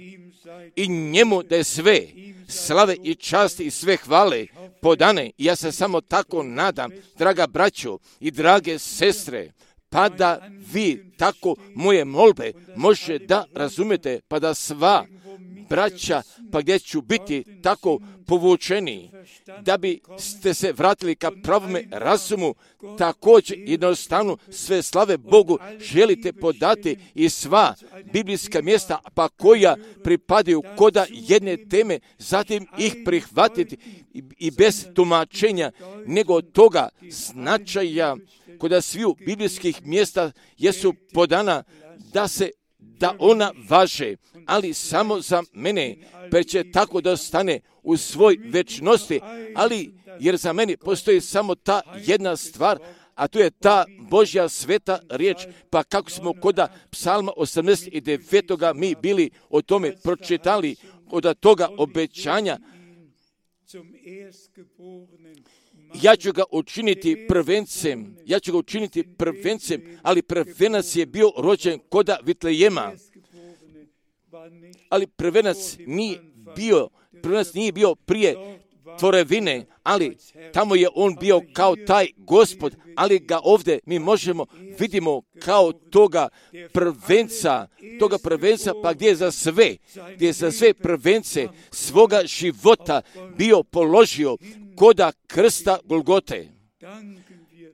I njemu da je sve slave i časti i sve hvale podane. I ja se samo tako nadam, draga braćo i drage sestre, pa da vi tako moje molbe možete da razumete, pa da sva braća, pa gdje ću biti tako povučeni, da bi ste se vratili ka pravome razumu, također jednostavno sve slave Bogu želite podati i sva biblijska mjesta, pa koja pripadaju koda jedne teme, zatim ih prihvatiti i bez tumačenja, nego toga značaja koda sviju biblijskih mjesta jesu podana da ona važe, ali samo za mene, pa će tako da ostane u svoj večnosti, ali jer za mene postoji samo ta jedna stvar, a to je ta Božja sveta riječ, pa kako smo koda Psalma 89. mi bili o tome pročitali, od toga obećanja, ja ću ga učiniti prvencem, ali prvenac je bio rođen koda Vitlejema, ali prvenac nije bio prije tvorevine, ali tamo je on bio kao taj Gospod, ali ga ovdje mi vidimo kao toga prvenca, pa gdje je za sve prvence svoga života bio položio koda krsta Golgote.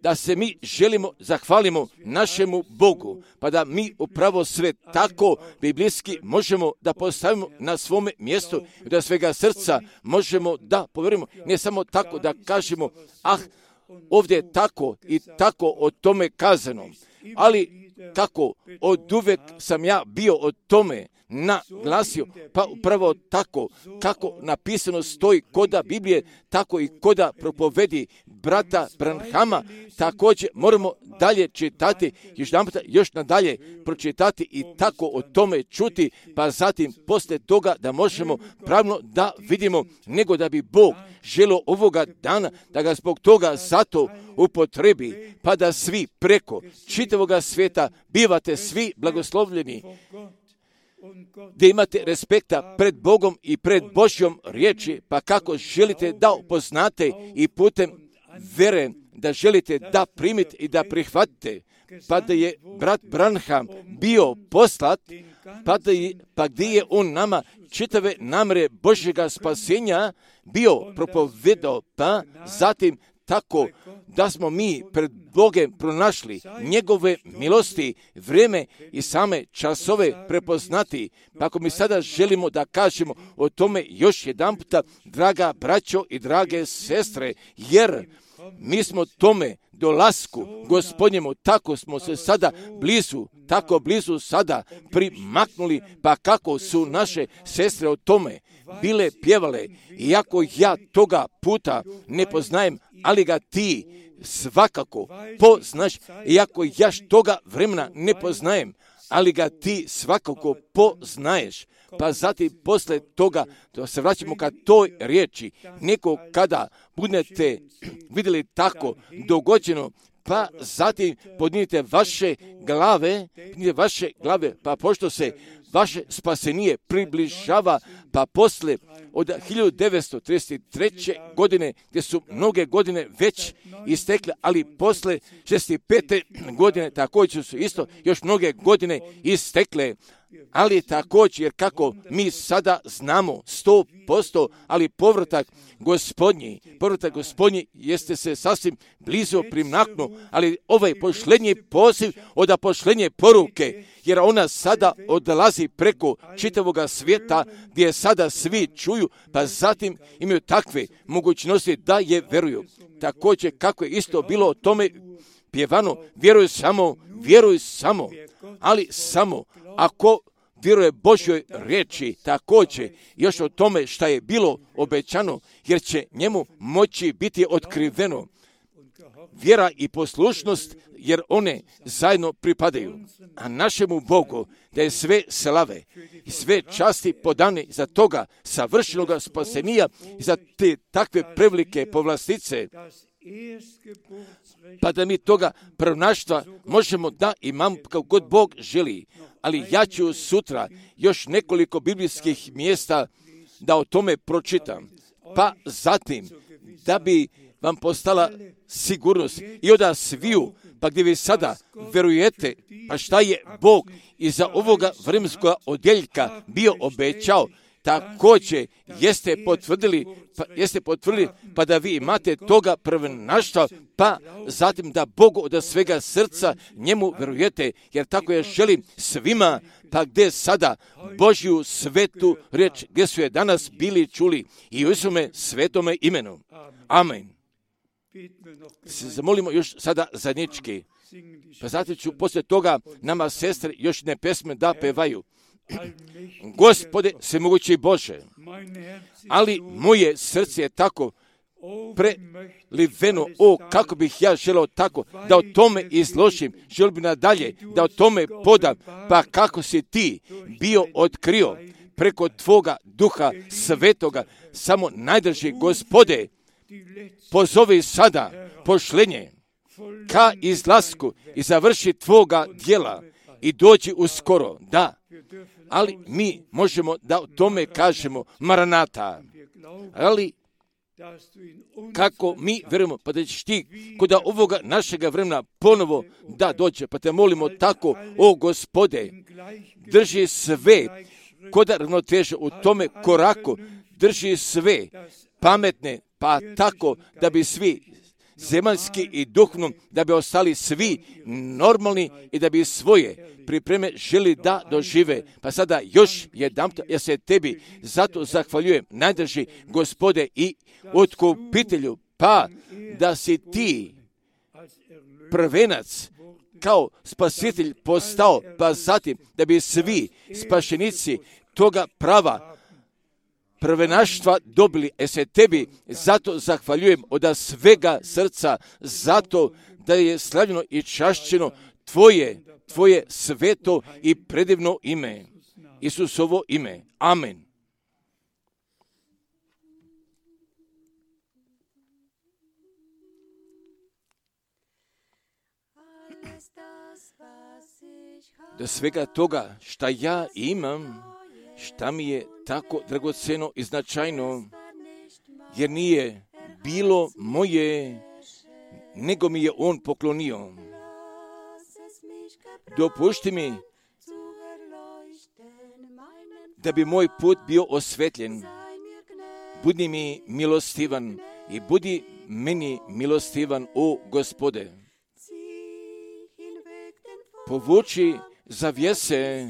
Da se mi želimo zahvalimo našemu Bogu, pa da mi upravo sve tako biblijski možemo da postavimo na svome mjestu, da svega srca možemo da povjerujemo, ne samo tako da kažemo, ovdje je tako i tako o tome kazano, ali kako od uvek sam ja bio o tome naglasio, pa upravo tako kako napisano stoji koda Biblije, tako i koda propovedi brata Branhama, također moramo dalje čitati, još nadalje pročitati i tako o tome čuti, pa zatim poslije toga da možemo pravno da vidimo, nego da bi Bog želio ovoga dana da ga zbog toga zato upotrebi, pa da svi preko čitavoga svijeta bivate svi blagoslovljeni, gdje imate respekta pred Bogom i pred Božjom riječi, pa kako želite da upoznate i putem vere da želite da primite i da prihvatite, pa da je brat Branham bio poslat, pa gdje je on nama čitave namere Božjega spasenja bio propovedao, pa zatim tako da smo mi pred Bogom pronašli njegove milosti, vrijeme i same časove prepoznati. Pa ako mi sada želimo da kažemo o tome još jedan puta, draga braćo i drage sestre, jer mi smo tome dolasku Gospodnjemu, tako smo se sada blizu, tako blizu sada primaknuli, pa kako su naše sestre o tome bile pjevale, iako ja toga puta ne poznajem, ali ga ti svakako poznaš, iako ja toga vremena ne poznajem, ali ga ti svakako poznaješ. Pa zatim posle toga, da se vraćamo ka toj riječi, neko kada budete vidjeli tako dogođeno, pa zatim podnijete vaše glave, pa pošto se vaše spasenije približava, pa posle od 1933. godine, gdje su mnoge godine već istekle, ali posle 65. godine također su isto još mnoge godine istekle, ali također, jer kako mi sada znamo 100%, ali povratak Gospodnji jeste se sasvim blizu primaknuo, ali ovaj pošlenji poziv od pošlenje poruke, jer ona sada odlazi preko čitavoga svijeta, gdje sada svi čuju, pa zatim imaju takve mogućnosti da je veruju. Također, kako je isto bilo o tome pjevano, vjeruj samo, ali samo ako vjeruje Božjoj riječi, također još o tome šta je bilo obećano, jer će njemu moći biti otkriveno. Vjera i poslušnost, jer one zajedno pripadaju. A našemu Bogu da je sve slave i sve časti podane za toga savršenoga spasenija i za te takve prevelike povlastice, pa da mi toga prvonaštva možemo da imamo kako god Bog želi. Ali ja ću sutra još nekoliko biblijskih mjesta da o tome pročitam. Pa zatim, da bi vam postala sigurnost i od sviju, pa gdje vi sada verujete, pa šta je Bog iza ovoga vremenskog odjeljka bio obećao, također jeste potvrdili, pa da vi imate toga prvenaštva, pa zatim da Bogu od svega srca njemu verujete, jer tako ja želim svima, pa gdje sada Božju svetu riječ, gdje su je danas bili čuli i u Isume svetome imenu. Amen. Se zamolimo još sada zajednički, pa zatim ću poslije toga nama sestre još ne pesme da pevaju. Gospode, svemogući Bože, ali moje srce je tako preliveno, kako bih ja želeo tako da o tome izložim, želio bi nadalje da o tome podam, pa kako si ti bio otkrio preko tvoga duha svetoga, samo najdrži Gospode, pozovi sada pošlenje ka izlasku i završi tvoga djela i dođi uskoro, da. Ali mi možemo da o tome kažemo Maranata. Ali kako mi vjerujemo, pa da ćeš ti kod ovoga našega vremena ponovo da dođe, pa te molimo tako, o Gospode, drži sve kod ravnoteže u tome koraku, drži sve pametne, pa tako da bi svi zemaljski i duhovno, da bi ostali svi normalni i da bi svoje pripreme želi da dožive. Pa sada još jedan, ja se tebi zato zahvaljujem, najdrži Gospode i otkupitelju, pa da si ti prvenac kao spasitelj postao, pa zatim da bi svi spašenici toga prava prvenaštva dobili, se tebi zato zahvaljujem od svega srca, zato da je slavljeno i čašćeno tvoje sveto i predivno ime, Isusovo ime. Amen. Do svega toga šta ja imam, šta mi je tako dragoceno i značajno, jer nije bilo moje, nego mi je on poklonio. Dopušti mi da bi moj put bio osvetljen. Budi mi milostivan i budi meni milostivan, o Gospode. Povuči zavjese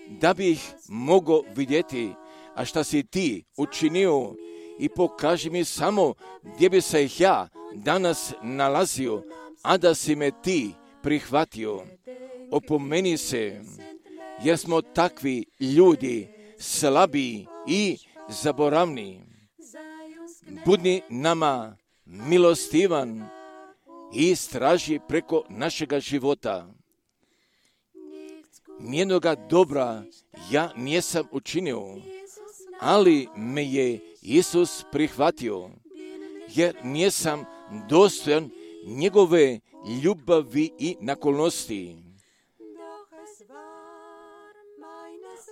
da bih mogao vidjeti, a šta si ti učinio, i pokaži mi samo gdje bi se ja danas nalazio, a da si me ti prihvatio. Opomeni se, jer smo takvi ljudi, slabi i zaboravni. Budi nama milostivan i straži preko našega života. Nijednoga dobra ja nisam učinio, ali me je Isus prihvatio, jer nisam dostojan njegove ljubavi i naklonosti.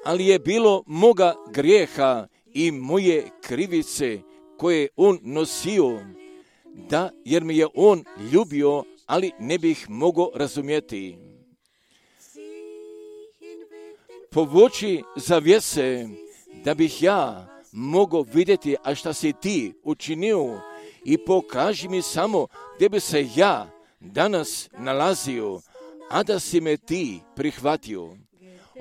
Ali je bilo moga grijeha i moje krivice koje on nosio, da, jer me je on ljubio, ali ne bih mogao razumjeti. Povuči zavjese da bih ja mogao vidjeti, a šta si ti učinio, i pokaži mi samo gdje bi se ja danas nalazio, a da si me ti prihvatio.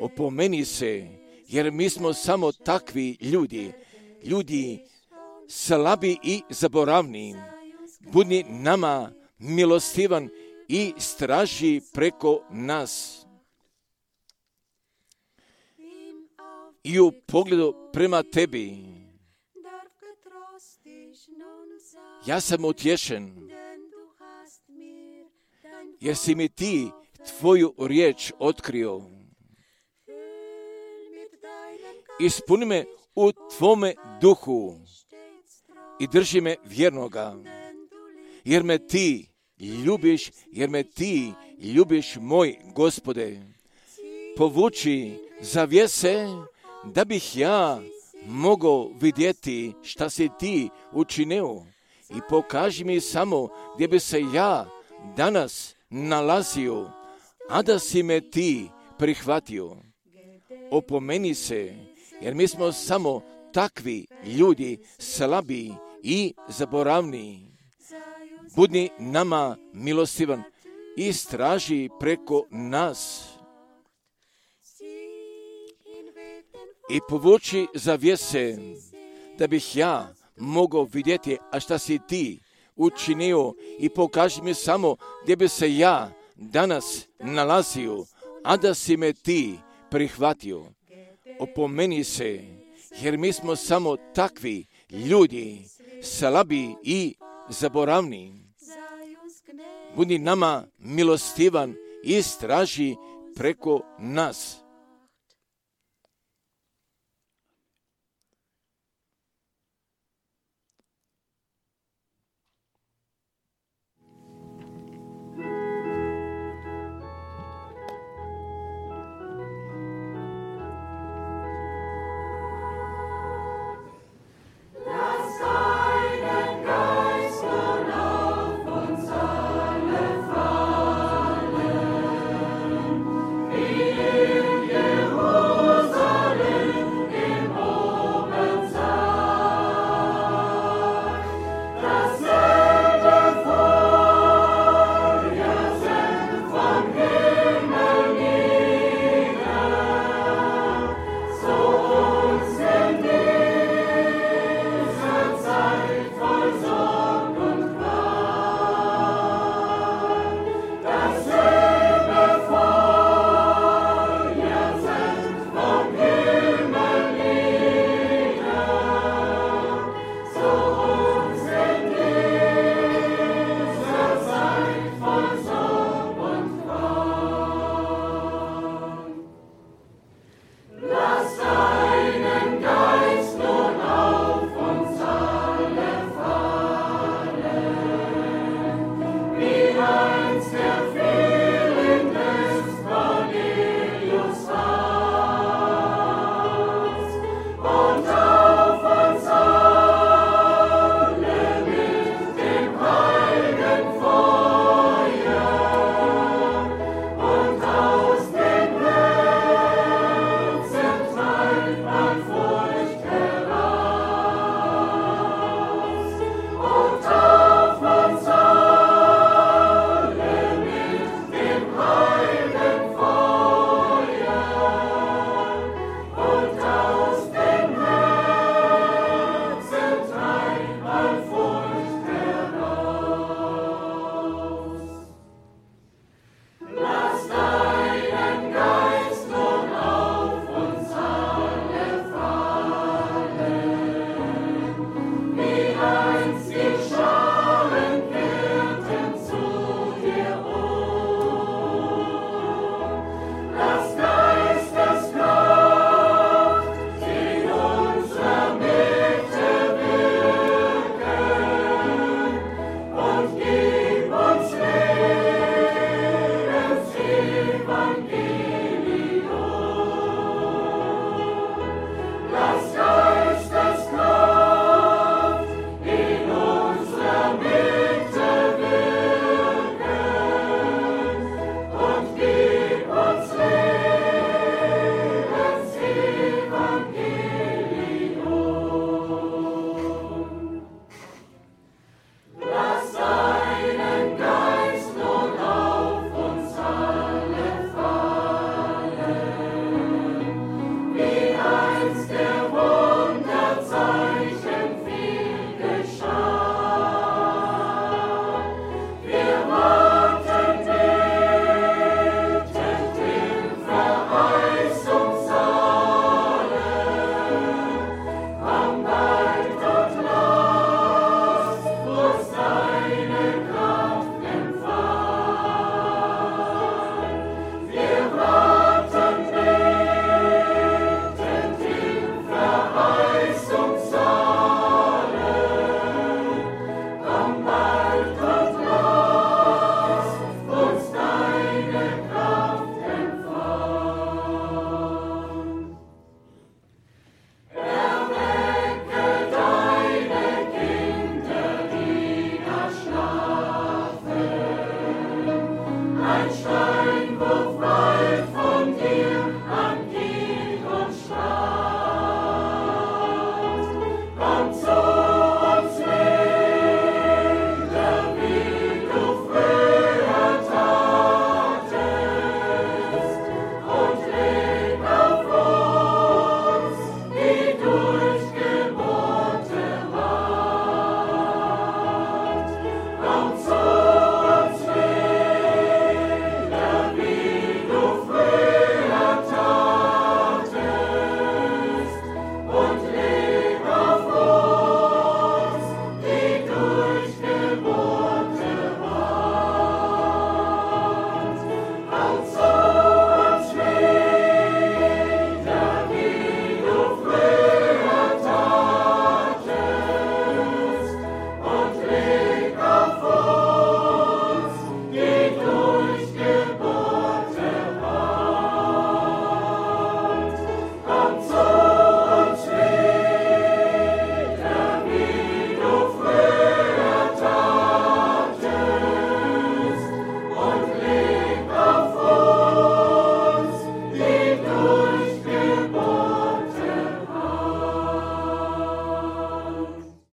Opomeni se, jer mi smo samo takvi ljudi slabi i zaboravni. Budi nama milostivan i straži preko nas. I u pogledu prema tebi ja sam utješen, jer si mi ti tvoju riječ otkrio. Ispuni me u tvome duhu i drži me vjernoga, jer me ti ljubiš, moj Gospode. Povuči zavjese da bih ja mogao vidjeti šta si ti učinio, i pokaži mi samo gdje bi se ja danas nalazio, a da si me ti prihvatio. Opomeni se, jer mi smo samo takvi ljudi, slabi i zaboravni. Budi nama milostivan i straži preko nas. I povuči zavjese da bih ja mogao vidjeti, a šta si ti učinio, i pokaži mi samo gdje bi se ja danas nalazio, a da si me ti prihvatio. Opomeni se, jer mi smo samo takvi ljudi, slabi i zaboravni. Budi nama milostivan i straži preko nas.